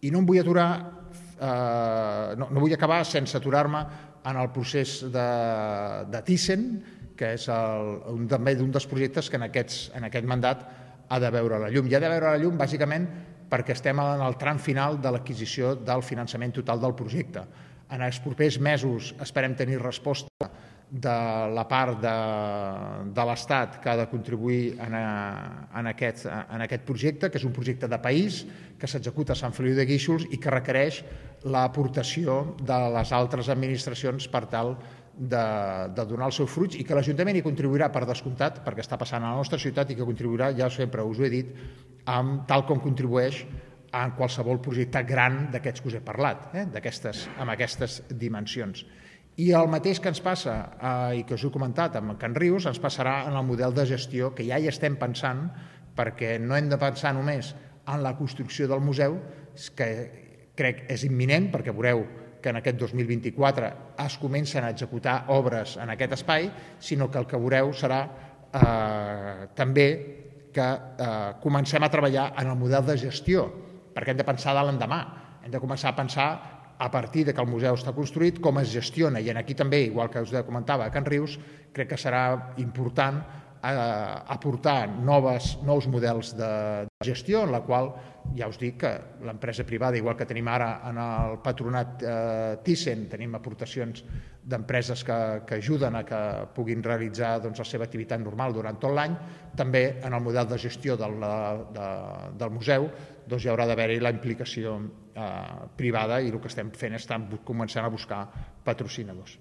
I no em vull aturar, no vull acabar sense aturar-me en el procés de Thyssen, que és també d'un dels projectes que en aquest mandat ha de veure la llum. I ha de veure la llum bàsicament perquè estem en el tram final de l'adquisició del finançament total del projecte. En els propers mesos esperem tenir resposta de la part de l'Estat que ha de contribuir en aquest projecte, que és un projecte de país que s'executa a Sant Feliu de Guíxols i que requereix l'aportació de les altres administracions per tal de donar els seus fruits, i que l'Ajuntament hi contribuirà per descomptat, perquè està passant a la nostra ciutat, i que contribuirà, ja sempre us ho he dit, tal com contribueix en qualsevol projecte gran d'aquests que us he parlat, amb aquestes dimensions. I el mateix que ens passa, i que us he comentat amb Can Rius, ens passarà en el model de gestió que ja hi estem pensant, perquè no hem de pensar només en la construcció del museu, que crec és imminent, perquè veureu que en aquest 2024 es comencen a executar obres en aquest espai, sinó que el que veureu serà també que comencem a treballar en el model de gestió, perquè hem de pensar de l'endemà, hem de començar a pensar a partir que el museu està construït, com es gestiona, i aquí també, igual que us comentava a Can Rius, crec que serà important aportar nous models de gestió, en la qual ja us dic que l'empresa privada, igual que tenim ara en el patronat Thyssen, tenim aportacions d'empreses que ajuden a que puguin realitzar la seva activitat normal durant tot l'any, també en el model de gestió del museu hi haurà d'haver-hi la implicació privada, i el que estem fent és començant a buscar patrocinadors.